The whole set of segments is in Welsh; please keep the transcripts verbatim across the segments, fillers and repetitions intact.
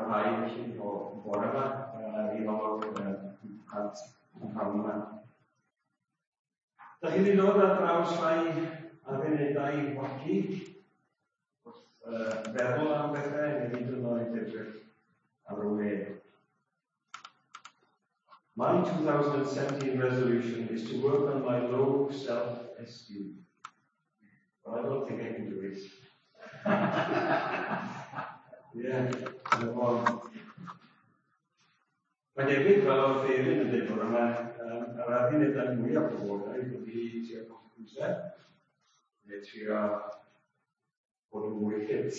parhau felly o bore yma i olwg at y rhan yma. Da chi wedi dod ar draws rhai addunedau wacky wrth uh, feddwl am bethau neu hyd yn oed edrych ar y we. My twenty seventeen resolution is to work on my low self-esteem. But I don't think I can do it. Yeah, yn y ffordd. Mae'n debyg fel oedd Therin yn dweud bore yma, um, yr addunedau mwyaf poblogaidd ydy trio colli pwysau, neu trio bod yn mwy ffit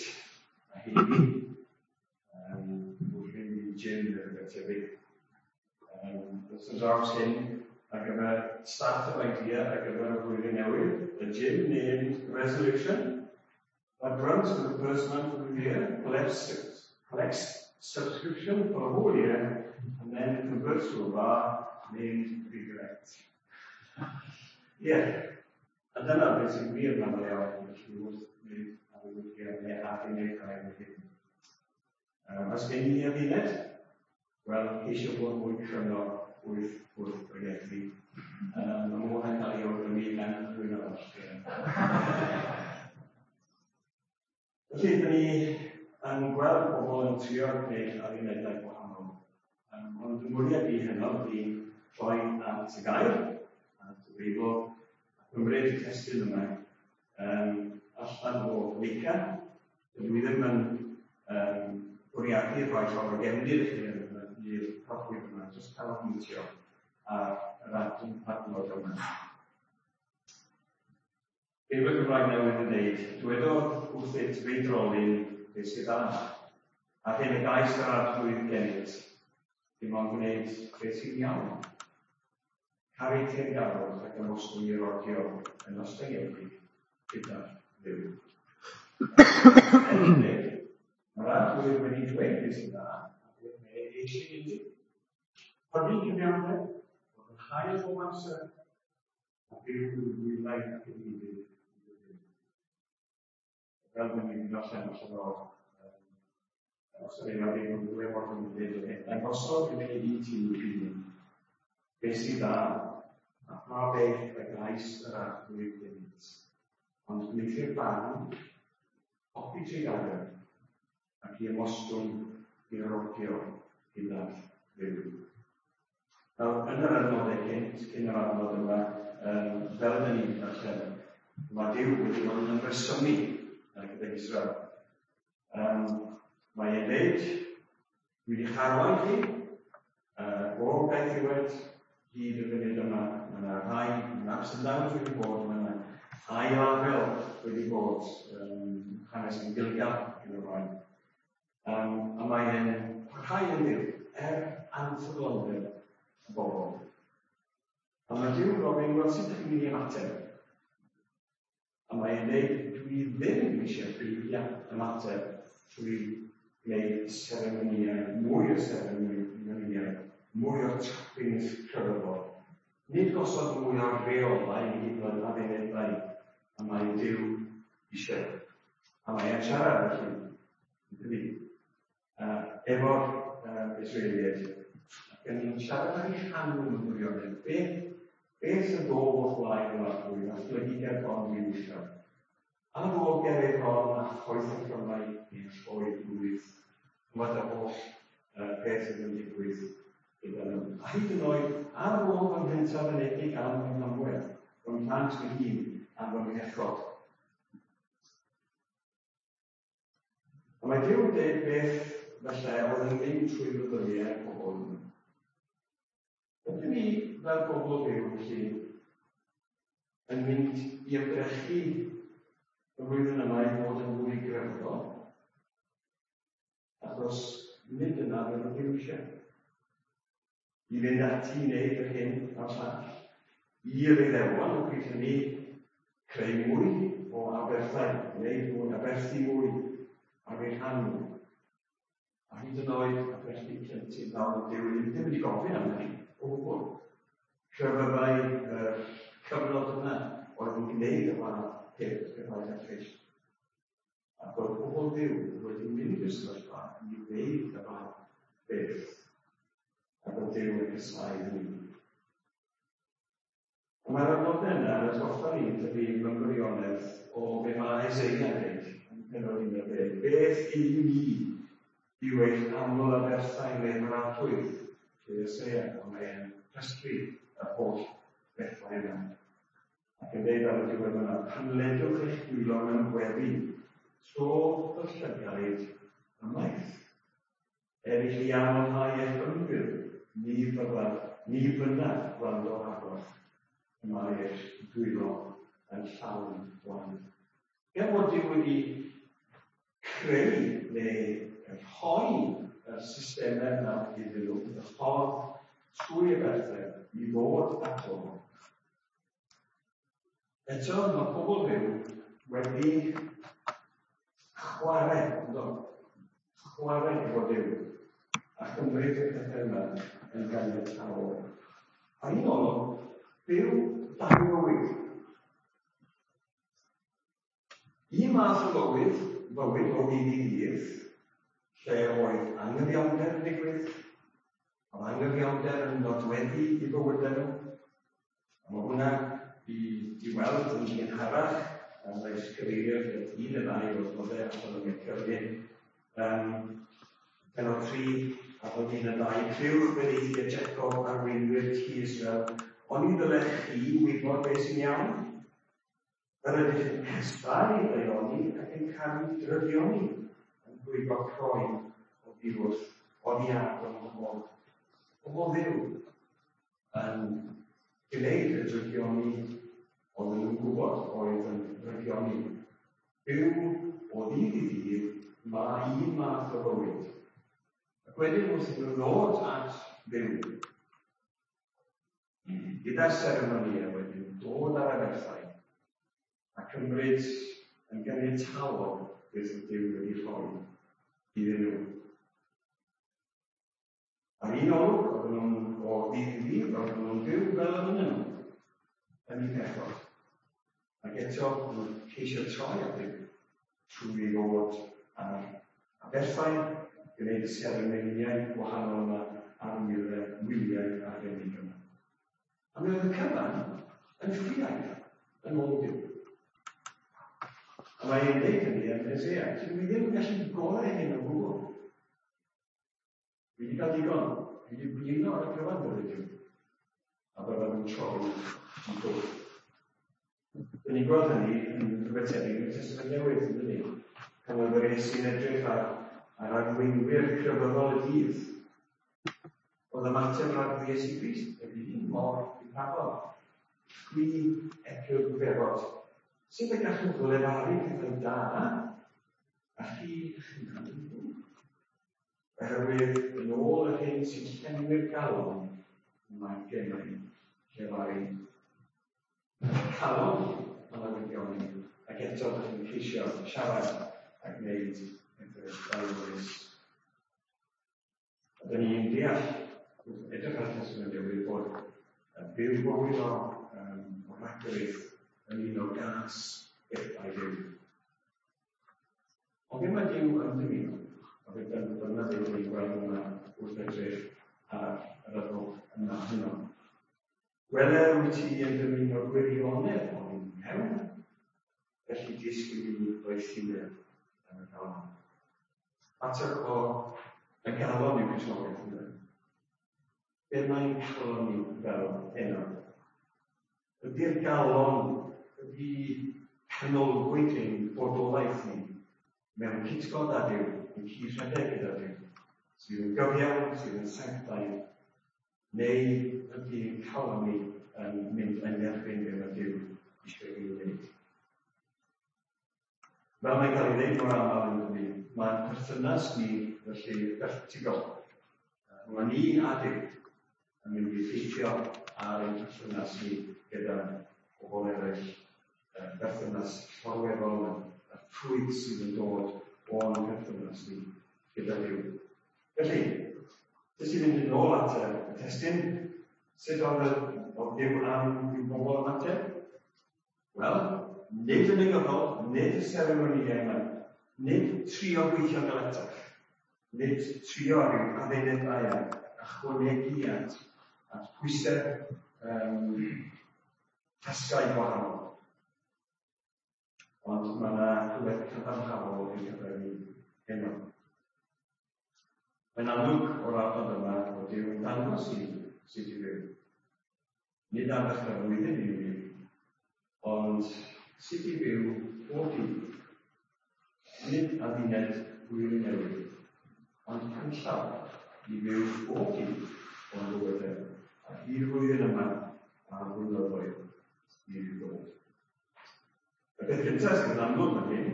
a heini, um, wrth fynd i gym neu rhywbeth tebyg. Um, Wrth yn draws hyn, ar gyfer start-up idea ar gyfer y flwyddyn newydd, a gym named Resolution, that runs for the first month of the year, collects, collects subscription for the whole year, and then converts to a bar named Regret. Yeah. A dyna beth sy'n wir yn aml iawn, felly wrth wneud addewidau neu addunedau yn hyn. Um, os gen i adduned, wel, ceisio bod mwy cryno wrth wrth bregethu. Um, mae mwy yn cael ei awgrymu gan rhywun arall. Felly, dyn ni yn gweld pobl yn trio gwneud addunedau gwahanol. Um, ond y mwriad i heno ydy troi at y gair, at y Beibl, a cymryd y testun yma um, allan o Meica. Dydw i ddim yn um, bwriadu rhoi llawer o gefndir i chi i'r proffwyd yma, jyst canolbwyntio ar yr adnod yma. Beibl Cymraeg Newydd yn dweud, dywedodd wrthyt feidrolyn beth sydd dda, a'r hyn y gais yr arglwydd gennyt, dim ond gwneud beth sy'n iawn. Caru teyrngarwch ac ymostwng i rodio yn ostyngedig gyda Dduw. Mae'r arglwydd wedi dweud beth sy'n dda, a beth mae eisiau i ti. Hynny cyfiawnder, bod yn hael bob amser, a byw yn ddwylain ac yn ufudd. Fel dyn ni'n darllen allan o'r os ydyn ni'n ddim yn gwybod yn dweud o hyn. Dangosodd i i ti hun beth sydd dda, a pha beth y gais yr arglwydd gennyt. Ond gwneuthur barn, hoffi trugaredd, ac i ymostwng i rodio gyda'r Dduw. Nawr, yn yr adnodau cynt, cyn yr adnod yma, um, fel ydyn ni'n darllen, mae Duw wedi bod yn ymresymu gydag Israel. Um, mae e'n dweud, dwi wedi charwain chi, uh, o gaethiwed hyd y funud yma, mae yna rhai, mae ups and downs wedi bod, mae yna ail afel wedi bod, um, hanes yn Gilgal ac yn y blaen. Um, a mae e'n parhau yn Dduw, er anffyddlondeb y bobl. A mae Duw yn gofyn, wel, sut ydych chi'n mynd i ymateb? A mae e'n dweud, dwi ddim eisiau chi ymateb trwy gwneud seremonïau, mwy o seremonïau, mwy o trappings crefyddol. Nid gosod mwy o reolau i hyd yn oed addunedau, a mae Duw eisiau. A mae e'n siarad felly, dydy, uh, efo'r uh, Israeliaid, ac yn siarad ar eu rhan nhw mewn gwirionedd. Beth, beth sy'n dod o'ch flaen yr arglwydd, a phlygu ger bron Duw eisiau? Ar ôl ger ei bron a choeth y llymau i'r troi blwydd, chymod y holl uh, peth sydd yn digwydd gyda nhw. A hyd yn oed, ar ôl fy nghyntaf anedig am fy nghamwedd, fy mhlant fy hun am fy mhechod. A mae Duw yn dweud beth felly oedd yn mynd trwy feddyliau pobl yma. Ydyn ni fel bobl Dduw felly yn mynd i ymdrechu y flwyddyn yma i fod yn fwy grefyddol? Achos nid yna beth oedd Duw eisiau. I fynd ati i wneud yr hyn a'r llall. I'r Iddewon, o pryd hynny, creu mwy o aberthau, wneud mwy, aberthu mwy ar eu rhan nhw. A hyd yn oed aberthu plentyn fel Duw ddim wedi gofyn am hynny, o gwbl. Crefyddau yr cyfnod yna oedd yn gwneud y fath peth, pethau erchyll. Ac oedd pobl pobl Dduw wedi mynd i'r sefyllfa i ddeud y fath beth, ac oedd Duw yn casáu hynny. A mae'r adnodau yna yn atgoffa ni, dydy, mewn gwirionedd o be mae Isaiah yn dweud yn pennod un ar ddeg. Beth i mi yw eich aml aberthau neu mradwydd trwy Isaiah, a mae'n rhestru yr holl bethau yna. Ac yn dweud ar y diwedd yna, pan ledwch eich dwylo mewn gweddi, tro fy llygaid ymaith. Er i chi amlhau eich ymbil, ni fyddaf, ni fynnaf gwrando arnoch. Y mae eich dwylo yn llawn gwaed. Gan fod Duw wedi creu neu rhoi y systemau yna iddyn nhw, y ffordd trwy y berthau i ddod ato. Eto, mae pobl Dduw wedi chwarae, ynddo? Chwarae efo Duw, a chymryd y pethau yma yn ganiataol. A un olwg, byw dau fywyd. Un math o fywyd, fywyd o ddydd i ddydd, lle oedd anghyfiawnder yn digwydd, oedd anghyfiawnder yn nodweddu i bywydau nhw. A mae hwnna i, i weld yn gynharach, a mae cyfeirio at un neu ddau o'r nodau allan o'n cyfri. Um, pennod tri, a bod un neu ddau, clywch benaethiaid Jacob arweinwyr tŷ Israel, oni ddylech chi wybod beth sy'n iawn? Yr ydych yn casáu daioni ac yn caru drygioni, yn rhwygo croen oddi wrth oddi ar y bobl. Pobl Dduw yn gwneud y drygioni oedden nhw'n gwybod oedd yn drygioni. Byw o ddydd i ddydd, mae un math o fywyd. Ac wedyn wrth iddyn nhw ddod at Dduw, gyda'r seremonïau wedyn dod ar aberthau a cymryd yn ganiataol beth oedd Duw wedi rhoi iddyn nhw. Ar un olwg, oedden nhw'n o ddydd i ddydd, oedden nhw'n byw fel y mynnyn nhw, yn eu pechod. Ac eto, oedden nhw'n ceisio troi at Dduw trwy ddod ar aberthau, gwneud y seremonïau gwahanol yma a'r wyliau, wyliau arbennig yma. A mi oedd y cyfan yn ffiaidd yn ôl Duw. A mae e'n dweud hynny yn Hosea, dwi ddim yn gallu gorau hyn o gwbl. Dwi wedi cael digon, dwi wedi blino ar y cyfan dweud Duw. A byddaf yn troi i ffwrdd. Dyn ni'n gweld hynny yn rhywbeth tebyg yn y Testament Newydd, yn dydi? Pan oedd yr Iesu'n edrych ar, ar arweinwyr crefyddol y dydd. Oedd ymateb rhag Iesu Grist, y byd mor difrafol. Chwi epil gwiwerod. Sut y gallwch lefaru pethau da, a chi eich hunan yn ddrwg? Oherwydd yn ôl yr hyn sy'n llenwi'r galon, mae gennau llefaru. Calon yn arwyddion, ac eto ydych chi'n ceisio siarad a gwneud pethau daionius. A dyn ni'n deall, wrth edrych ar y Testament Newydd, bod byw bywyd o, um, o ragorith yn un o gas bethau Duw. Ond be mae Duw yn dymuno? A fe dyna dyna beth ni'n gweld yma wrth edrych ar yr adnod yma heno. Wele wyt ti yn dymuno gwirionedd o'n mewn, felly disgwyl i mi ddoethineb yn y galon. Mater o y galon yw Cristnogaeth, ynde? Be mae'n calon ni fel heno? Ydy'r galon, ydy canolbwynt ein bodolaeth ni mewn cytgord â Duw, yn cyd-rhedeg gyda Duw, sydd yn gyfiawn, sydd yn sanctaidd, neu ydy'n calon ni yn mynd yn erbyn be mae Duw eisiau ei wneud? Fel mae'n cael ei ddeud mor aml yn dydi, mae'n perthynas ni felly fertigol. Mae ni a Duw yn mynd i effeithio ar ein perthynas ni gyda pobl eraill, y berthynas llorweddol yma, y ffrwyth sydd yn dod o'n perthynas ni gyda Duw. Felly, jyst i fynd yn ôl at y testun, sut oedd y oedd Duw am i'w bobl ymateb? Wel, nid yn negyddol, nid y seremonïau yma, Nid trio gweithio'n galetach, nid trio rhyw adduned aia, ychwanegu at, at pwysau um, tasgau gwahanol. Ond mae yna rhywbeth cadarnhaol i'r cyfer ni heno. Mae'n amlwg o'r adnod yma bod Duw yn dangos i ni sut i fyw. Nid ar ddechrau'r flwyddyn i ni, ond sut i fyw bob dydd. Nid adduned blwyddyn newydd, ond canllaw i fyw bob dydd o'n bywydau, ac i'r flwyddyn yma a'r blynyddoedd i ddod. Y peth cyntaf sydd yn amlwg fan hyn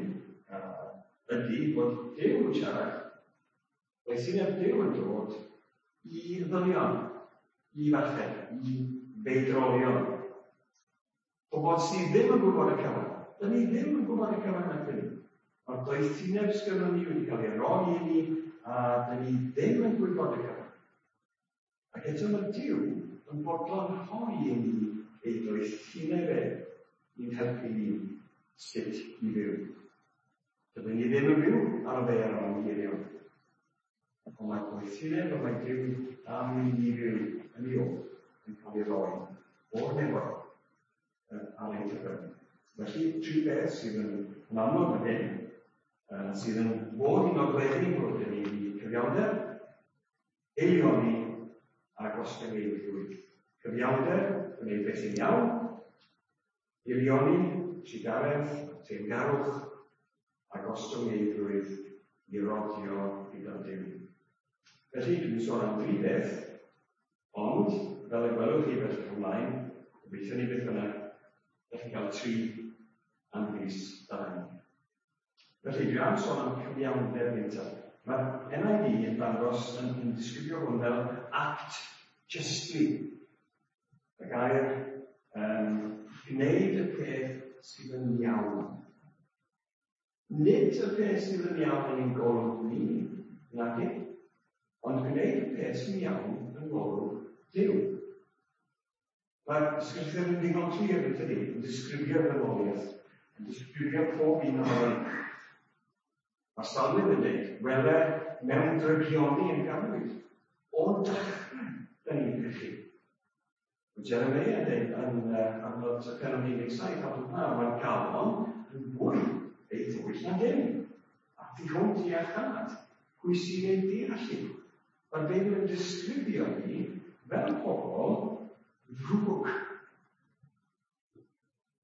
uh, ydy bod Duw yn siarad. Mae syniad Duw yn dod i ddynion, i ferched, i feidrolion. Pobl sydd ddim yn gwybod y cyfan. Dyn ni ddim yn gwybod y cyfan nac ni. Mae'r doethineb sgynnon ni wedi cael ei roi i ni, a dyn ni ddim yn gwybod y cyfan. Ac eto mae Duw yn bodlon rhoi i ni ei doethineb e i'n helpu ni sut i fyw. Dydyn ni ddim yn byw ar y ddaear o'n geirion. Ond mae doethineb y mae Duw am i ni fyw yn ei ôl yn cael ei roi o'r nefoedd ar ein cyfer. Felly, tri beth sydd yn, yn amlwg fan hyn, uh, sydd yn fod i nodweddu bod yn ni cyfiawnder, eilioni a gostyngeidrwydd. Cyfiawnder, gwneud beth sy'n iawn, eilioni, trugaredd, teyrngarwch, a gostyngeidrwydd i rodio gyda Duw. Felly, dwi'n sôn am dri beth, ond, fel y gwelwch chi bellach ymlaen, gobeithio ni beth bynnag, ydych chi'n cael tri am bris dau. Felly, dwi am sôn am cyfiawnder gyntaf. Mae'r N I V yn dangos, yn, yn disgrifio hwn fel act justly. Y gair um, gwneud y peth sydd yn iawn. Nid y peth sydd yn iawn yn ein golwg ni, nag ond gwneud y peth sy'n iawn yn golwg Duw. Mae'r ysgrythur yn ddigon clir yn tydi, yn disgrifio'r ddynoliaeth, yn disgrifio pob un ohonon ni. Mae'r Salmydd yn dweud, wele mewn drygioni yn ganwyd, o dechrau dyn ni'n pechu. Mae Jeremiah yn dweud yn uh, adnod pennod un deg saith, adnod naw, mae'r galon yn fwy ei thwyll na dim. A thu hwnt i iachâd, pwy sy'n ei deall i? Mae'r Beibl yn disgrifio ni fel pobl ddrwg.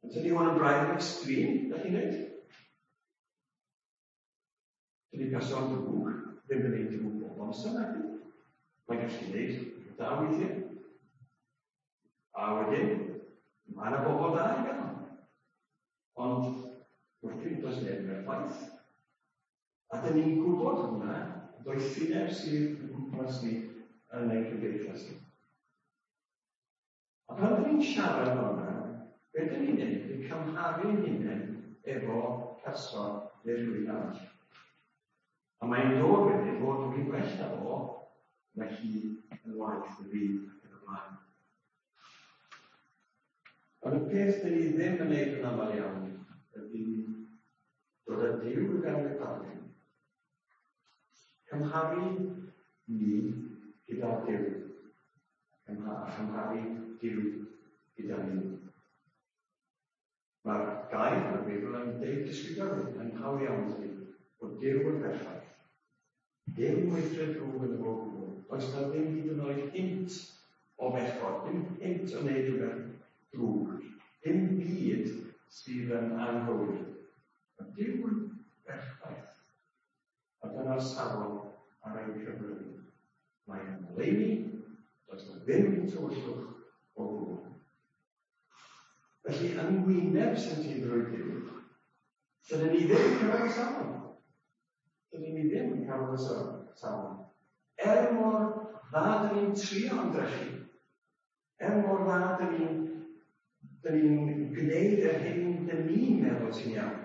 Yn tydi hwn yn braidd yn extreme, ydych chi'n dweud? Dydy person drwg ddim yn gwneud drwg bob amser, nag ydy? Mae'n gallu gwneud da weithiau. A wedyn, mae yna bobl da i gael. Ond, wrth does neb yn berffaith. A dyn ni'n gwybod hwnna, doethineb sydd yn gwmpas ni yn ein cymdeithas ni. A pan dyn ni'n siarad fel yna, be dyn ni'n neud ydy cymharu'n hunain efo person neu rhywun arall. A mae'n dod wedyn fod dwi'n gwell na fo, mae hi yn waeth na fi ac yn y blaen. Ond y peth dyn ni ddim yn neud yn aml iawn ydy dod â Duw i fewn i'r darlun. Cymharu ni gyda Duw. A chymharu Duw gyda ni. Mae'r gair yn y Beibl yn deud disgrifio yn hawdd iawn tydi, bod Duw yn berffaith. Dim weithred drwg yn y fo gwbl. Does na ddim hyd yn oed hint o bechod, dim hint o wneud rhywbeth drwg, dim byd sydd yn anghywir. Mae Duw yn berffaith. A dyna'r safon ar ein cyfer ni. Mae yn oleuni, does na ddim tywyllwch o gwbl. Felly, yn wyneb sancteiddrwydd Duw, dydyn ni ddim yn cyrraedd y safon. Dydyn ni ddim yn cyrraedd y safon. Er mor dda dyn ni'n trio ymdrechu, er mor dda dyn ni'n dyn ni'n gwneud yr hyn dyn ni'n meddwl sy'n iawn.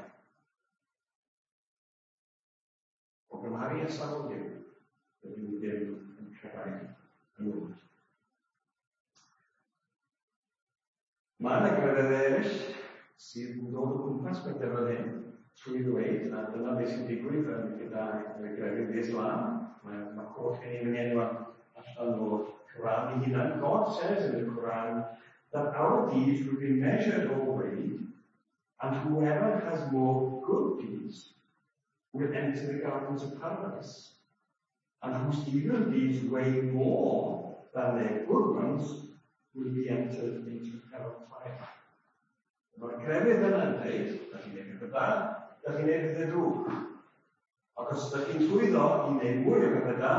O gymharu â safon Duw, dydyn ni ddim yn cyrraedd y nod. Mae yna grefyddau eraill sydd yn dod o gwmpas pethau fel hyn. Trwy ddweud, a dyna beth sy'n digwydd yn gyda grefydd Islam, mae, mae holl gen i'n enw allan o'r Quran ei hunan. God says in the Quran that our deeds will be measured or weighed, and whoever has more good deeds will enter the gardens of paradise. And whose evil deeds weigh more than their good ones will be entered into hellfire. Mae'r crefydd yna'n dweud, da chi'n neud pethau da, da chi'n neud pethau drwg. Ac os ydych chi'n llwyddo i wneud mwy o bethau da,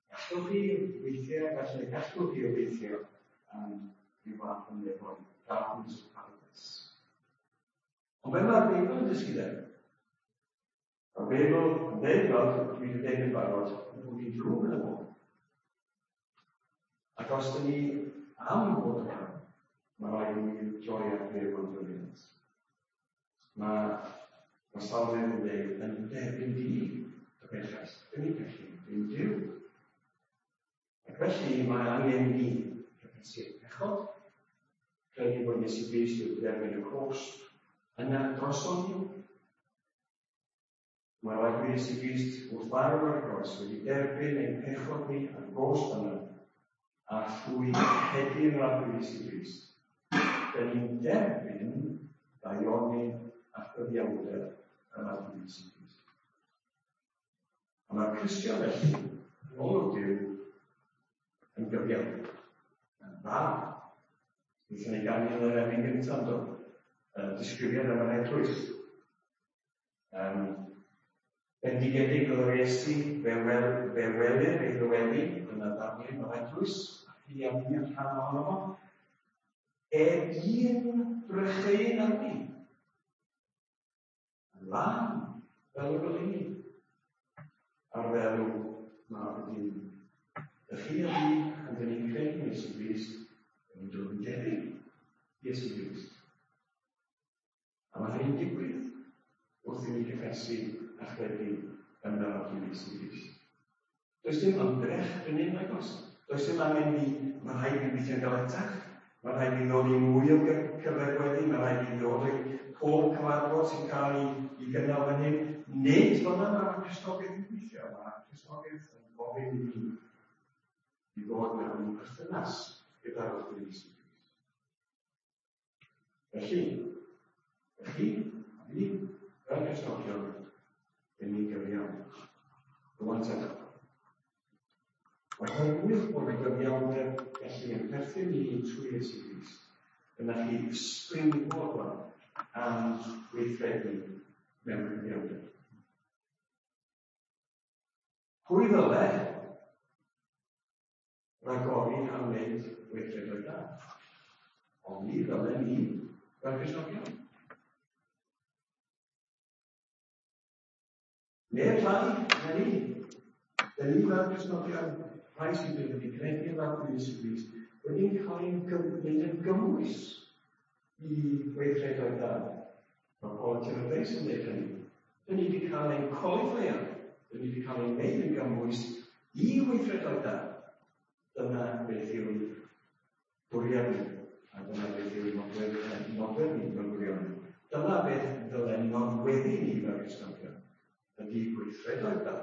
gallwch chi weithio, felly gallwch chi obeithio am ryw fath o nefoedd, gardens of paradise. Ond be mae'r Beibl yn dysgu de? Mae'r Beibl yn dweud, fel dwi wedi dweud yn barod, bod ni'n drwg yn y bôn. Ac os dyn ni am fod yma, mae rhaid i ni droi at Dduw am faddeuant. Mae mae Salmydd yn dweud yn derbyn di y bechais. Dyn ni'n pechu, dim Duw. Ac felly mae angen ni cyffesu'r pechod, credu bod Iesu Grist wedi derbyn y cosb yna droson ni. Mae'r Arglwydd Iesu Grist wrth farw ar y groes wedi derbyn ein pechod ni a'r gosb yna, a thrwy credu yn yr Arglwydd Iesu Grist, dyn ni'n derbyn daioni a chyfiawnder yr Arglwydd Iesu Grist. A mae'r Cristion felly, yn ôl Duw, yn gyfiawn, yn dda. Wnaethon ni ganu yn yr emyn gyntaf, do? Uh, disgrifiad am yr eglwys. Um, bendigedig oedd yr Iesu, fe, wel, fe welir ei ddyweddi, dyna ddarlun o'r eglwys, a chi a fi yn rhan ohono fo. E un brycheuyn arni. Yn lân, fel y goleuni. Ar ddelw mab y dyn. Ych chi a fi, pan dyn ni'n credu Iesu Grist, yn ni'n dod yn debyg Iesu Grist. A mae hynny'n digwydd wrth i ni gyffesu a chredu yn yr Arglwydd Iesu Grist. Does dim ymdrech yn un nag oes. Does dim angen ni, mae rhaid i weithio'n galetach, mae rhaid i ddod i mwy o cyfle gweddi, mae rhaid i ddod i pob cyfarfod sy'n cael ei, ei gynnal fan hyn. Nid fel yna mae'r Cristnogaeth yn gweithio, mae Cristnogaeth yn gofyn i ni i ddod mewn perthynas gyda'r Arglwydd Iesu Grist. Felly, chi, a fi, fel Cristnogion, dyn ni'n gyfiawn. Rwan te. Oherwydd bod y gyfiawnder felly yn perthyn i ni trwy Iesu Grist, dyna chi springboard am weithredu mewn cyfiawnder. Pwy ddyle ragori am wneud weithredoedd da? Ond ni ddyle ni fel Cristnogion. Neb llai na ni. Dyn ni fel Cristnogion, rhai sydd wedi credu yn Arglwydd Iesu Grist, wedi cael ein gwneud yn gymwys i weithredoedd da. Mae Paul a Timotheus yn dweud hynny. Dyn ni wedi cael ein qualifio, dyn ni wedi cael ein gwneud yn gymwys i weithredoedd da. Dyna beth yw'n bwriad ni, a dyna beth yw'n nodwedd, nodwedd ni fel gwirionedd. Dyna beth ddylen nodweddu ni fel Cristnogion, ydy gweithredoedd da,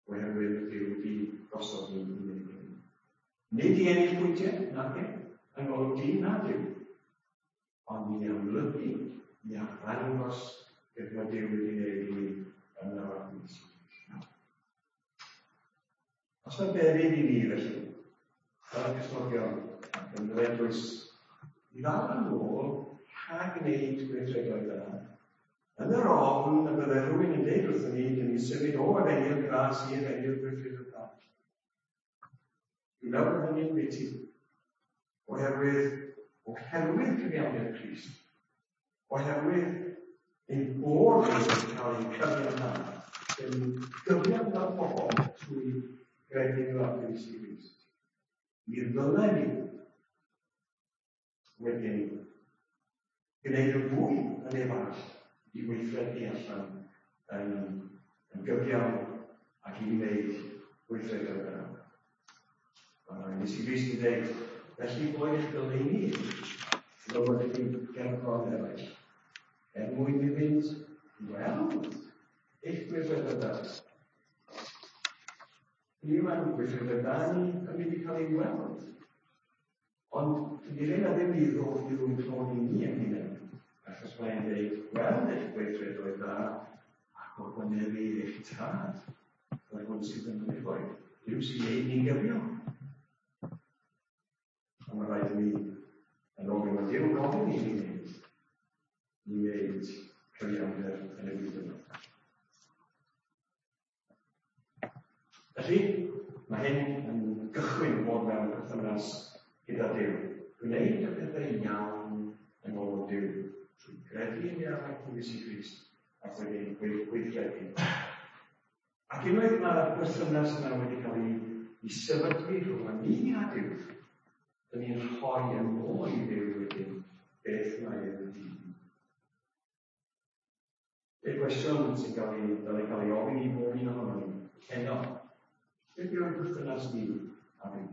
oherwydd Duw wedi gosod ni i wneud hynny. Nid i ennill pwyntiau, nac e, yng ngolwg dyn na Duw, ond i amlygu, i arddangos beth mae Duw wedi wneud i ni yn yr Arglwydd Iesu Grist. Os mae beryg i ni felly, fel Cristnogion ac yn yr eglwys, i ddal yn ôl rhag gwneud gweithredoedd da, yn yr ofn y bydde rhywun yn dweud wrthyn ni, dyn ni'n symud o efengyl gras i efengyl gweithredoedd da. Dwi'n meddwl bod hynny'n biti, oherwydd, oherwydd cyfiawnder Crist, oherwydd ein bod ni wedi cael ein cyfiawnhau, dyn ni'n gyfiawn fel pobl trwy gredu yn yr Arglwydd Iesu Grist. Mi ddylen ni wedyn gwneud yn fwy yn ei arall i weithredu allan yn, yn gyfiawn ac i wneud gweithredoedd da. Mae Iesu Grist yn dweud, felly boed eich goleuni, fel bod chi'n gerbron eraill, Er mwyn iddynt weld eich gweithredoedd da. Ni mae'n gweithredoedd da ni yn mynd i cael ei weld. Ond dydy rheina ddim i ddod i ddwyn clod i ni yn hunain. Achos mae'n dweud, gweld eich gweithredoedd da ac ogwynebu eich tad. Yr hwn sydd yn y nefoedd. Duw sy'n ein ni'n gyfiawn. A mae rhaid i ni, yn ôl mae Duw gofyn i ni wneud, i wneud cyfiawnder yn y byd yma. Felly, mae hyn yn gychwyn bod mewn perthynas gyda Duw. Gwneud y pethau iawn yn ôl Duw, trwy gredu yn Arglwydd Iesu Grist ac wedyn gweithredu. Ac unwaith mae'r perthynas yna wedi cael ei, ei sefydlu rhwng ni a Duw, dyn ni'n rhoi yn ôl i Dduw wedyn beth mae e wedi. Y cwestiwn sy'n cael ei, dylai cael ei ofyn i bob un ohonom ni heno, beth yw'r perthynas ni a Duw?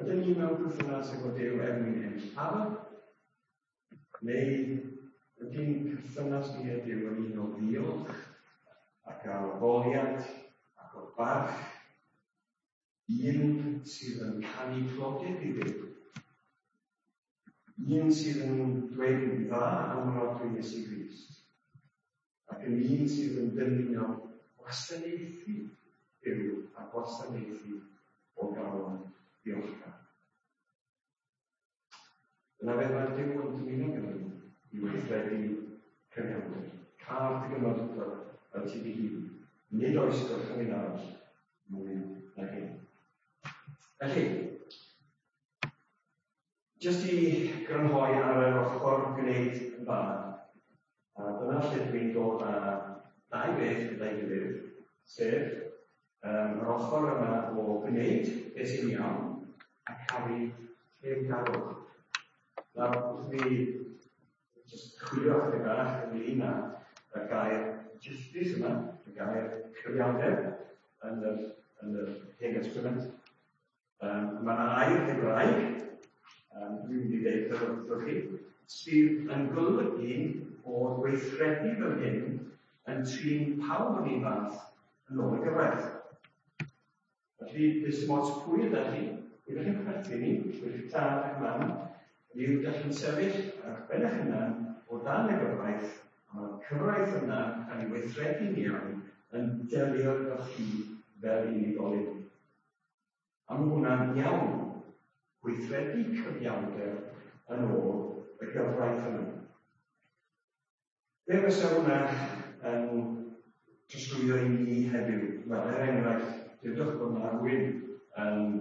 Ydyn ni mewn perthynas efo Duw er mwyn ennill pafr? Neu ydy'n perthynas ni â Duw yn un o ddiolch ac o addoliad ac o barch, un sydd yn canu clodydd i Dduw, un sydd yn dweud yn dda am yr Arglwydd Iesu Grist, ac yn un sydd yn dymuno gwasanaethu Duw a gwasanaethu o galon ddiolchgar. Dyna beth mae'r Duw yn dymuno gyda ni, i weithredu cyfiawnder. Car dy gymydog fel ti dy hun. Nid oes gorchymyn arall mwy na hyn. Felly, jyst i grynhoi ar yr ochr gwneud yn dda, a dyna lle dwi'n dod â dau beth gyda'i gilydd, sef um, yr ochr yma o gwneud beth sy'n iawn a caru teyrngarwch. Nawr, wrth i fi jyst chwilio chydig bach ynglyn â y gair justice yma, y gair cyfiawnder yn yr, yn yr Hen Testament. Um, mae yna air Hebraeg, um, dwi'n mynd i ddeud wrthych chi, sydd yn golygu bod weithredu fel hyn yn trin pawb yn un fath yn ôl y gyfraith. Felly, does dim ots pwy ydych chi, pwy ydych chi'n perthyn i, pwy ydych tad ac mam, yw ydych chi'n sefyll ar ben eich hunan o dan y gyfraith, a mae'r cyfraith yna yn cael ei weithredu'n iawn yn delio efo chi fel unigolyn. A mae hwnna'n iawn, gweithredu cyfiawnder yn ôl y gyfraith yna. Be fysa hwnna yn trosglwyddo i ni heddiw? Wel, er enghraifft, dywedwch bod yna rhywun yn,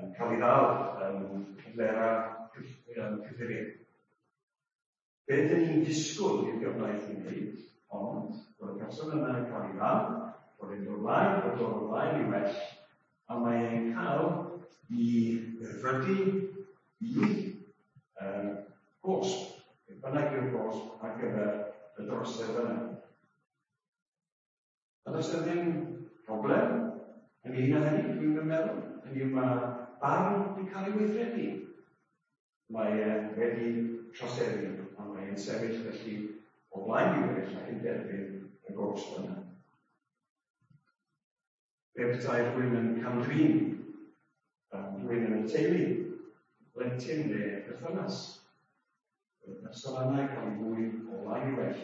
yn cael ei ddal yn cyflera cyffuriau. Be dyn ni'n disgwyl i'r gyfraith i wneud, ond bod y person yna yn cael ei ddal, bod e'n dod mlaen, bod dod ymlaen i well, a mae e'n cael i ddedfrydu i um, gosb, beth bynnag yw'r gosb ar gyfer y drosedd yna. A does yna ddim problem ynglyn â hynny, dwi'n meddwl. Hynny yw mae barn wedi cael ei weithredu. Mae e wedi troseddu, a mae e'n sefyll felly o flaen i eraill ac yn derbyn y gosb yna. Be petai rhywun yn cam-drin, rhywun yn y teulu, blentyn neu perthynas. Y person yna yn cael ei ddwyn o flaen i well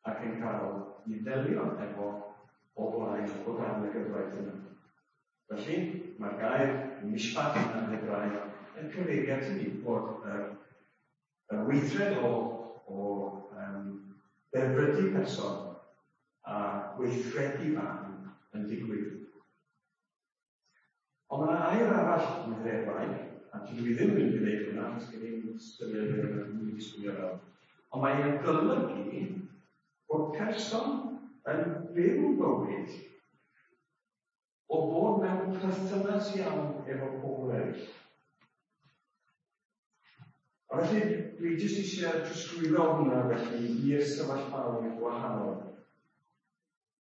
ac yn cael ei ddelio efo o flaen o dan y gyfraith yna. Felly, mae'r gair mishpat yna yn Hebraeg yn cyfeirio at hynny bod yr, y weithred o, o um, ddedfrydu person a gweithredu barn yn digwydd. Ond mae yna air arall yn yr Hebraeg, a dwi ddim yn mynd i ddeud hwnna, achos gen i'n ystyried beth dwi'n mynd i swnio fel. Ond mae'n golygu bod person yn byw bywyd o fod mewn perthynas iawn efo pobl eraill. A felly, dwi jyst eisiau trosglwyddo hwnna felly i'r sefyllfaoedd gwahanol.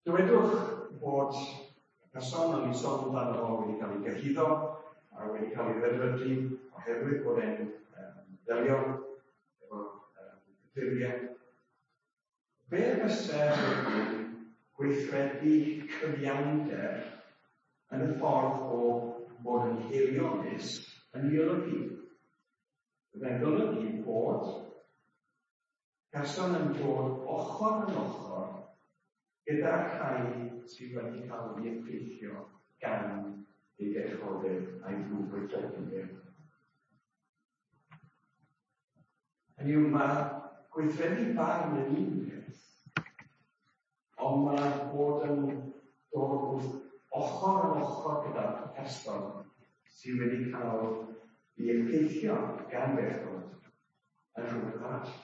Dywedwch bod y person o'n i'n sôn amdano fo wedi cael ei gyhuddo a wedi cael ei ddedfrydu oherwydd bod e'n um, delio efo um, ffurfiau. Be fysa gweithredu cyfiawnder yn y ffordd o fod yn haelionus yn ei olygu? Byddai'n golygu bod person yn dod ochr yn ochr gyda'r rhai sydd wedi cael ei effeithio gan ei bechod a'i ddrwgweithredu. Hynny yw, mae gweithredu barn yn un peth, ond mae bod yn dod wrth ochr yn ochr gyda'r person sydd wedi cael ei effeithio gan bechod yn rhywbeth arall.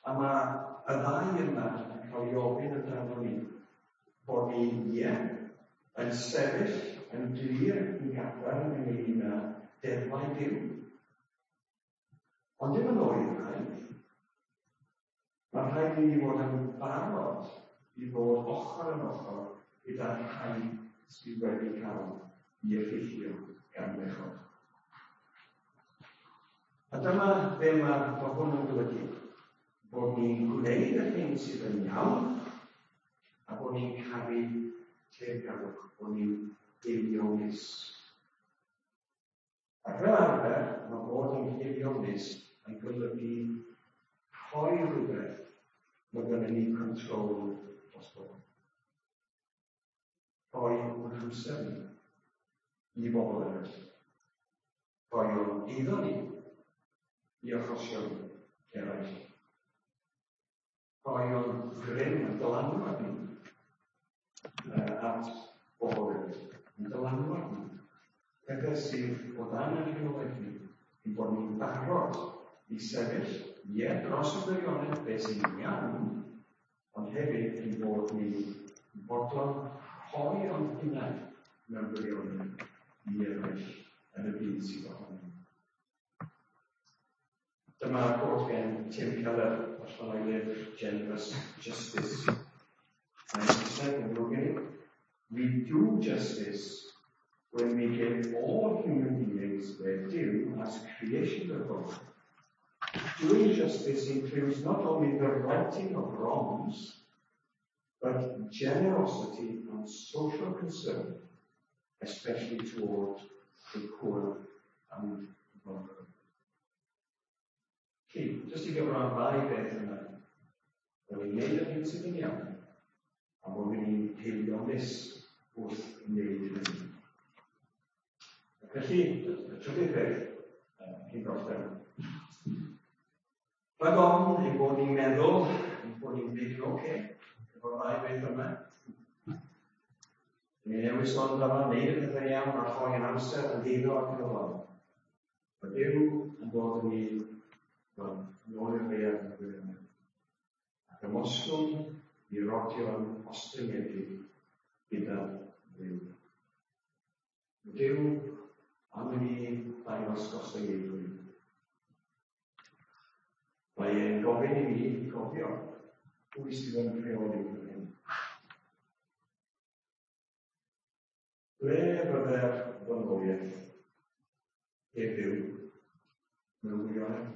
A mae y ddau yma yn cael ei ofyn amdano ni, bod ni, ie, yn sefyll yn glir yn gadarn ynglyn â deddfau Duw. Ond dim yn oeraidd. Mae'n rhaid i ni fod yn barod i fod ochr yn ochr gyda'r rhai sydd wedi cael ei effeithio gan bechod. A dyma be mae, mae hwn yn golygu. Bod ni'n gwneud yr hyn sydd yn iawn, a bod ni'n caru teyrngarwch, bod ni'n haelionus. Ac fel arfer, mae bod yn haelionus yn golygu rhoi rhywbeth mae gennym ni control drosto. Rhoi o'n hamser ni i bobl eraill. Rhoi o'n eiddo ni i achosion eraill. Rhoi o'n grym a dylanwad ni at bobl eraill. Yn dylanwad ni. Pethau sydd o dan yn rheolaeth ni, ein bod ni'n barod i sefyll, ie, dros y gwirionedd, beth sy'n iawn, ond hefyd ein bod ni'n fodlon rhoi o'n hunain mewn gwirionedd i eraill yn y byd sydd ohono ni. Dyma quote gen Tim Keller allan o'i lyfr Generous Justice. Mae'n Saesneg yn ddrwg gen i. We do justice when we give all human beings their due as creation of God. Doing justice includes not only the righting of wrongs, but generosity and social concern, especially toward the poor and vulnerable. Felly, jyst i gyfro am ddau beth yna, bod ni'n neud yr hyn sydd yn iawn, a bod ni'n haelionus wrth wneud hynny. Felly, y trydydd peth, cyn gorffen. Rhag ofn ein bod ni'n meddwl, ein bod ni'n gwneud yn oce, efo'r ddau beth yma. Ni'n newid sôn amdano, wneud y pethau iawn a rhoi yn amser yn eiddo ac yn y blaen. Mae Duw yn dod yn ni yn ôl i'r ddaear yn y gwirionedd. Ac ymostwng i rodio'n ostyngedig gyda Duw. Mae Duw am i ni ddangos gostyngeiddrwydd. Mae e'n gofyn i ni gofio pwy sydd yn rheoli fan hyn. Ble fydde'r ddynoliaeth heb Dduw mewn gwirionedd?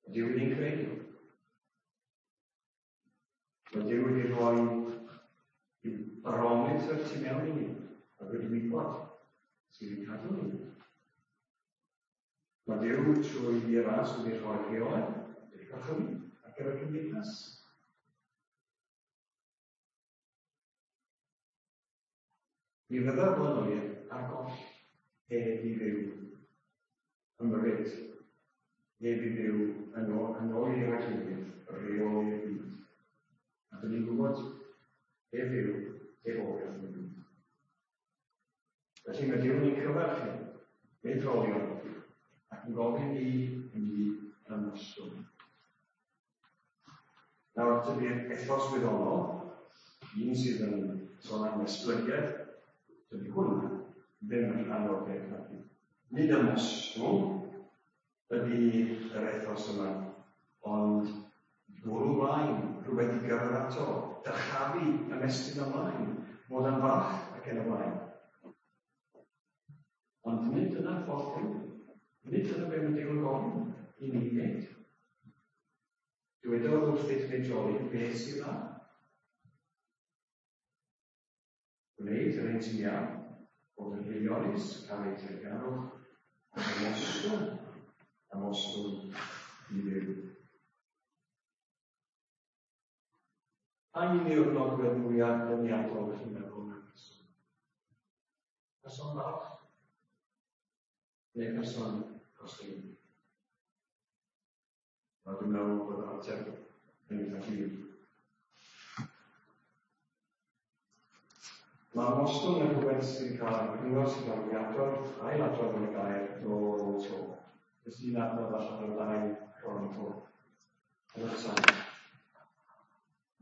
Mae Duw wedi'n creu ni. Mae Duw wedi rhoi i'w barometr tu mewn i ni ac wedi wybod sydd yn cadw ni. Mae Duw trwy ei ras wedi rhoi rheolau, wedi gorchymyn ar gyfer cymdeithas. Mi fydda'r ddynoliaeth ar goll heb i Dduw ymyrryd, heb i Dduw yn ôl, yn ôl i'r arglwydd, reoli'r byd. A dyn ni'n gwybod heb Dduw, heb obaith yn y byd. Felly mae Duw yn ein cyfarch ni, meidrolion, ac yn gofyn i ni ymostwng. Nawr, tydi'r ethos wyddonol, un sydd yn sôn am esblygiad, dydy hwnna ddim yn rhan o'r peth nag yw. Nid ymostwng ydy yr ethos yma, ond bwrw mlaen, rhywbeth i gyrraedd ato, dyrchafu, ymestyn ymlaen, fod yn falch ac yn y blaen. Ond nid dyna'r ffordd Duw. Nid dyna be mae Duw yn gofyn i ni wneud. Dywedodd wrth eich meidroli beth sydd dda. Gwneud yr hyn sy'n iawn, bod yn haelionus, cael ei teyrngarwch, ac ymostwng, ymostwng i Dduw. Pa un yw'r nodwedd mwyaf deniadol ydych chi'n meddwl mewn person? Person balch? Neu person gostyngedig? Wel, dwi'n meddwl bod yr ateb yn eitha clir. Mae ymostwng yn rhywbeth sy'n cael ei cyngor sy'n cael ei adrodd, ail adrodd yn y gair dro ar ôl tro. Jyst un adnodd allan o'r ddau Cronicl. Yn y salm.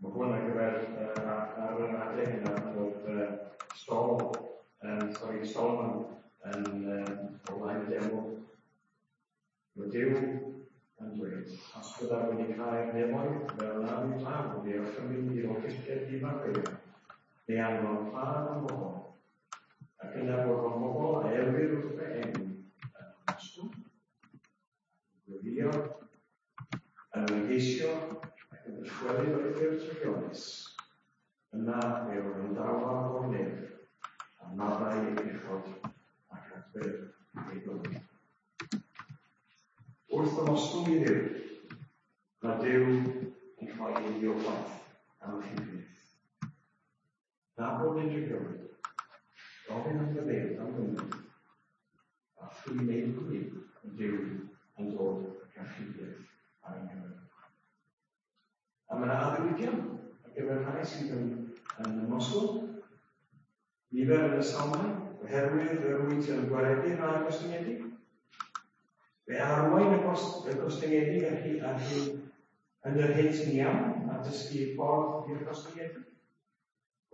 Mae hwn ar gyfer uh, ar yr adeg yna bod uh, Sol, um, sorry, Solomon yn um, o flaen y deml. Mae Duw yn dweud, os byddaf wedi cau'r nefoedd fel na fydd glaw, neu orchymyn i'r orchestion ddifarfeiriau, neu anfon pla am bobl, ac yna bod o'n bobl a elwir wrth fy enw yn ymostwng, yn gweddïo, yn ymgeisio ac yn dychwelyd o'i ffyrdd drygionus, yna fe wrandawaf o'r nef, a maddau ei bechod ac adfer ei bywyd. Wrth ymostwng i Dduw, mae Duw yn rhoi ei obaith am y rhywbeth. Na bod yn drygioned, gofyn am faddeuant am gymorth, a thrwy wneud hynny, mae Duw yn dod ac achubiaeth ar ein cyfer. A mae yna addewidion ar gyfer rhai sydd yn, yn ymostwng. Nifer yn y salmau, oherwydd yr wyt yn gwaredu rhai gostyngedig. Fe arwain y gostyngedig ar hyn, ar hyn yn yr hyn sy'n iawn a dysgu ffordd i'r gostyngedig.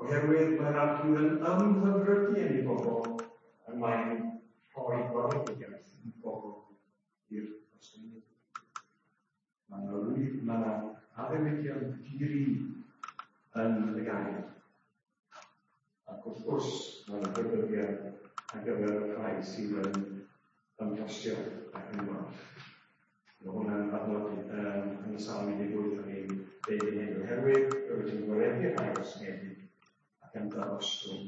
Oherwydd mae'r Arglwydd yn ymhyfrydu yn ei bobl, a mae'n rhoi gwaredigaeth i bobl i'r gostyngedig. Mae yna mae yna addewidion di-ri yn y gair. Ac wrth gwrs, mae yna rhybuddion ar gyfer y rhai sydd yn ymgostio ac yn falch. Mae hwnna'n adnod um, yn y Salm un deg wyth o'n i'n deud yn hyn, oherwydd yr wyt yn gwaredu'r rhai gostyngedig ac yn darostwng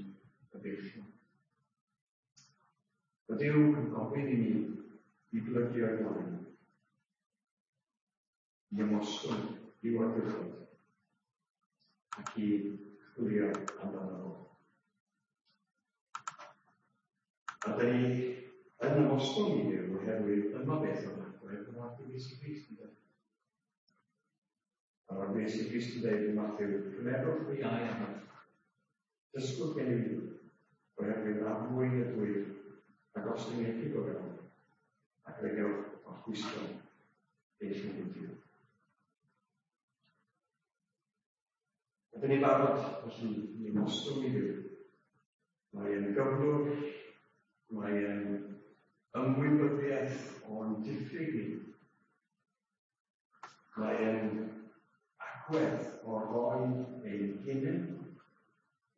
y beichion. Mae Duw yn gofyn i ni i blygu o'i flaen, i ymostwng i'w awdurdod ac i chwilio amdano fo. A dyn ni yn ymostwng i Dduw oherwydd dyma beth oedd agwedd yr Arglwydd Iesu Grist yn dweud. A'r Arglwydd Iesu Grist yn dweud yn Mathew, cymerwch fy iau arnoch, dysgwch gen i fi, oherwydd amwyn y dwyf, a gostyngedig o fewn, ac fe gewch orffwyso eich eneidiau. Ydyn ni'n barod, felly, i ymostwng i Dduw. Mae yn gyflwr, mae yn ymwybyddiaeth o'n diffyg ni. Mae yn agwedd o roi ein hunain,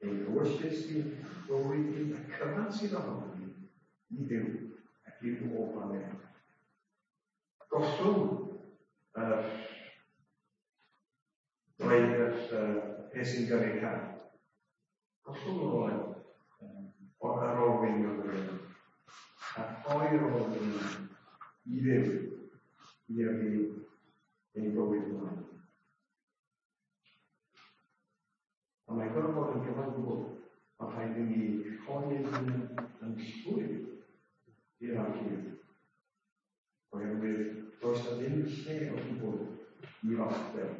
ein ewyllys ni, bywyd ni, y cyfan sydd ohono ni, i Dduw ac i'w ofal ef. Gollwng yr dweud yr peth sy'n gyrru car. Gollwng yr olew o'r ar olwyn o'r olew. A rhoi'r olwyn i Dduw i yrru ein bywyd ymlaen. A mae'n gorfod bod yn gyfan gwbl. Mae rhaid i ni rhoi ein hunain yn llwyr i'r Arglwydd. Oherwydd does na ddim lle o gwbl i falchder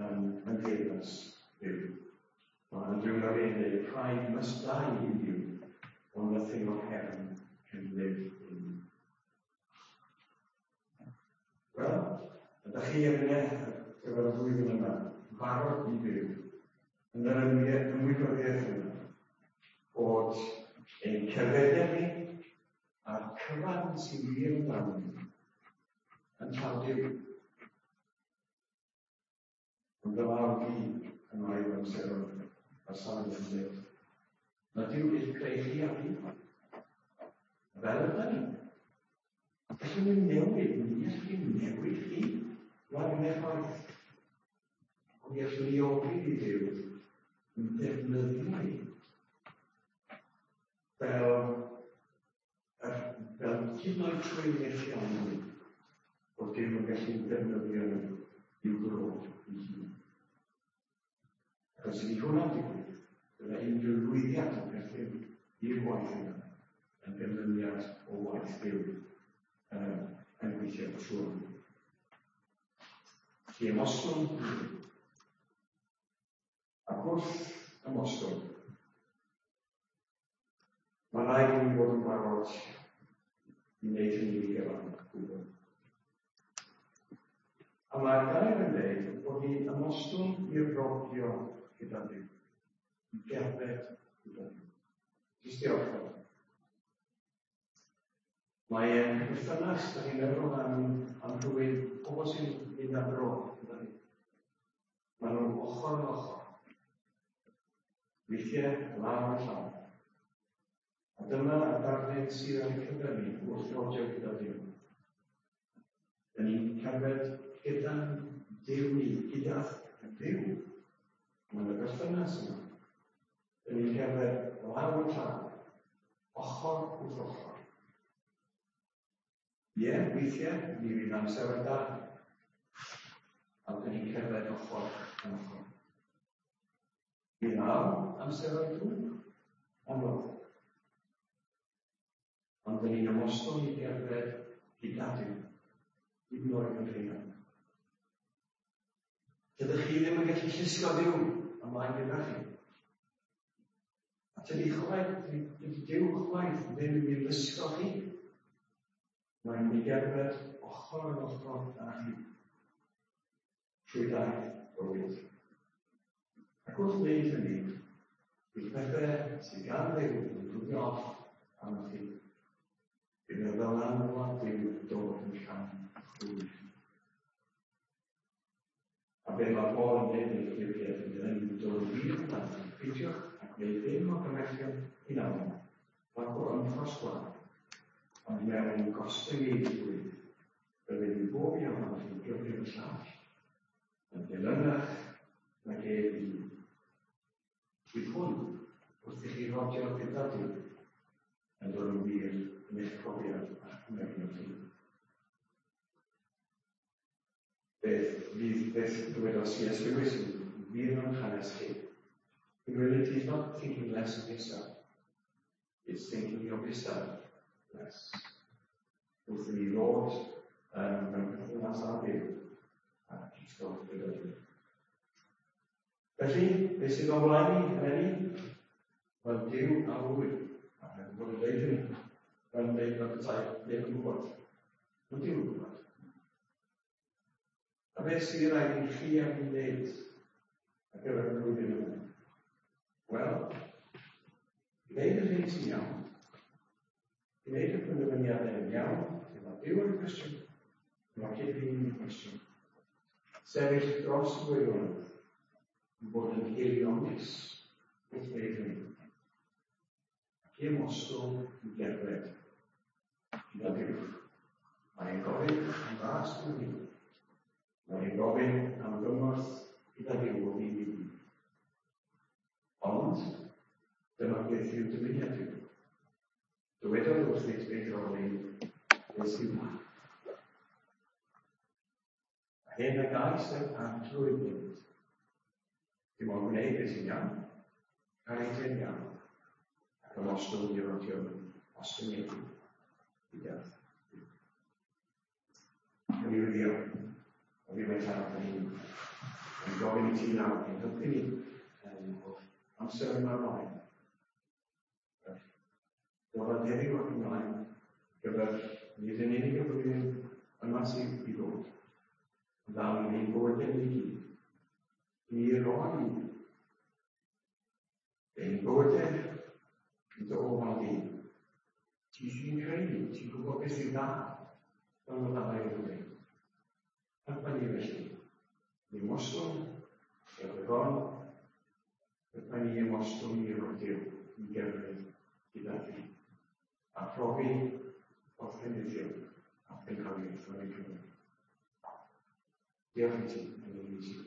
yn yn teyrnas Dduw. Mae Andrew Murray yn dweud, pride must die in you, or nothing of heaven can live in you. Wel, ydych chi ar ar gyfer y flwyddyn yma, barod i fyw yn yr ymwybyddiaeth yma, bod ein cerddediad ni a'r cyfan sy'n wir amdano ni yn llaw Duw. Ond dyma o fi yn ail amseroedd a'r salmydd yn dweud, mae Duw wedi creu chi a fi. Fel ydy ni. Gallwn ni newid, ni allwn ni newid chi. Rhaid yn effaith. Ond mi allwn ni ofyn i Dduw yn defnyddio ni fel, fel hyd yn oed trwy methiant ni, bod Duw yn gallu defnyddio ni i'w glod ei hun. Ac os ydy hwnna'n digwydd, byddai unrhyw lwyddiant yn perthyn i'r waith yna yn ganlyniad o waith Duw um, yn gweithio trwy. Felly ymostwng i Dduw. Ac wrth ymostwng, mae rhaid i ni fod yn barod i wneud hynny i gyfan gwbl. A mae'r gair yn dweud bod ni'n ymostwng i rodio gyda Duw, i gerdded gyda Duw. Jyst i orffen. Mae e'n perthynas, da ni'n meddwl am, am rhywun, pobl sy'n mynd ar dro gyda ni. Maen nhw'n ochr yn ochr. Weithiau, law yn llaw. A dyma y darlun sydd ar ein cyfer ni wrth rodio gyda Duw. Da ni'n cerdded gyda'n Duw ni, gyda Dduw. Mae'n y berthynas yma. Da ni'n cerdded law yn llaw, ochr wrth ochr. Ie, weithiau, mi fydd amser da. A da ni'n cerdded ochr yn ochr. Mi ddaw amseroedd drwg, anodd. Ond da ni'n ymostwng i gerdded gyda Duw, hyd yn oed yn rheina. Dydych chi ddim yn gallu llusgo Duw ymlaen gyda chi. A tydi chwaith, dydy Duw chwaith ddim yn mynd i lusgo chi. Mae'n mynd i gerdded ochr yn ochr â chi. Trwy daith bywyd. Ac wrth wneud hynny, bydd pethau sydd gan Dduw yn rwbio off arnoch chi. Bydd y ddylanwad Duw yn dod yn llawn llwyr. A be mae Paul yn dweud yn y Philippiaid yn dweud yn dod yn wir yn dda, peidiwch a gwneud dim o gymhellion hunanol, nac o ymffrost gwael, ond mewn gostyngeiddrwydd, byddai i bob un ohonoch chi gyfrif y llall, yn dilynach nag ef ei hun. Bydd hwn, wrth i chi rodio gyda Duw, yn dod yn wir yn eich profiad a'ch cymeriad chi. Beth fydd beth dywedodd C S Lewis yn wir mewn hanes chi. Humility is not thinking less of yourself. It's thinking of yourself less. Wrth i ni ddod um, mewn perthynas â Duw a llusgo gyda Duw. Felly, beth sydd o'n flaen ni eleni? Wel, Duw a ŵyr. A rhaid bod yn dweud hynny. Fel yn dweud fel petai neb yn gwybod. Mae Duw yn gwybod. A beth sydd rhaid i chi a fi wneud ar gyfer y flwyddyn yma? Wel, gwneud yr hyn sy'n iawn. Gwneud y penderfyniadau yn iawn. Lle mae Duw yn cwestiwn. Lle mae cyd-ddyn yn cwestiwn. Sefyll dros y gwirionedd. Yn bod yn haelionus wrth wneud hynny. Ac i ymostwng i gerdded gyda Duw. Mae'n gofyn am ras drwy ni. Mae'n gofyn am gymorth gyda Duw o ddydd i ddydd. Ond, dyma beth yw dymuniad Duw. Dywedodd wrthynt beth roli, beth sydd dda. A hyn a gais yr arglwydd wneud. Dim ond gwneud beth sy'n iawn, cael ei dyn iawn, ac ymostwng i rodio ostyngedig gyda Duw. Yn ei wyddio, o fi mae tad yn ni'n yn gofyn i ti nawr, yn helpu ni um, o'r amser yma ymlaen. Dod heddiw ac ymlaen, gyfer nid yn unig y flwyddyn yma sydd i ddod, ond am ein bywydau ni gyd. Ni roi ein bywydau yn dy ofal di. Ti sy'n creu ni, ti'n gwybod beth sy'n dda, fel mae ddau yn dweud. Helpa ni felly. Ni ymostwng, ger y bron, helpa ni ymostwng i rodio, i gerdded gyda ti. A profi wrth ddefnyddio a phencampwriaeth yn ein Cymru. Diolch i ti yn y Iesu.